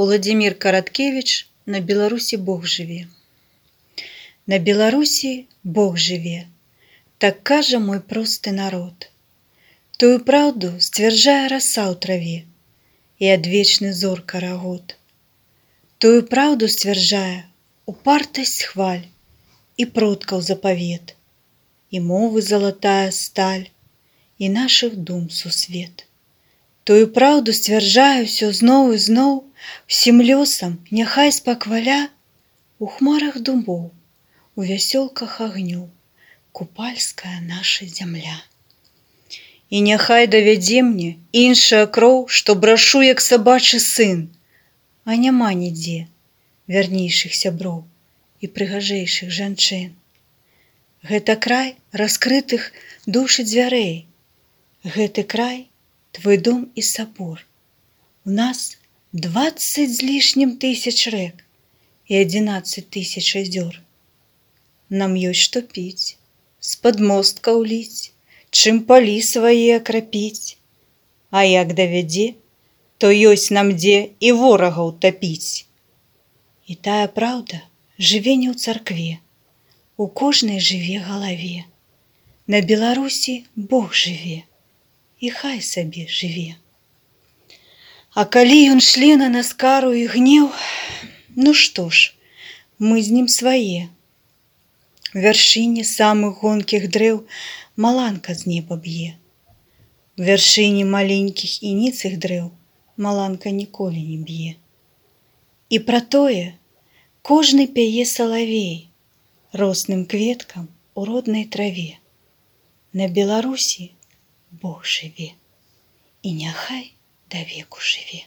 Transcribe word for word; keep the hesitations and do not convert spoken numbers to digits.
Уладзімір Караткевіч «На Беларусі Бог жыве». На Беларусі Бог жыве, так кажа мой просты народ. Тую праўду сцвярджае раса ў траве і адвечны зор карагод. Тую праўду сцвярджае упартасць хваль і продкаў запавет, і мовы залатая сталь, і нашых дум сусвет. Тую праўду сцвярджае ўсё зноў і зноў, усім лёсам няхай спакваля у хмарах дубоў, у вясёлках агню купальская наша зямля. І няхай давядзе мне іншая кроў, што брашу як сабачы сын, а няма нідзе вярнейшых сяброў і прыгажэйшых жанчын. Гэта край раскрытых душ і дзвярэй, гэты край твой дом і сабор. У нас дваццаць з лішнім тысяч рэк і адзінаццаць тысяч азёр. Нам ёсць што піць, з-пад мосткаў ліць, чым палі свае акрапіць. А як давядзе, то ёсць нам дзе і ворагаў тапіць. І тая праўда жыве не ў царкве, у кожнай жыве галаве. На Беларусі Бог жыве, і хай сабе жыве. А калі ён шле на нас кару і гнеў, ну што ж, мы з ім свае. Вяршыні самых гонкіх дрэў маланка з неба б'е. Вяршыні маленькіх і ніцых дрэў маланка ніколі не б'е. І пра тое кожны пяе салавей росным кветкам у роднай траве. На Беларусі Бог жыве, і няхай давеку жыве.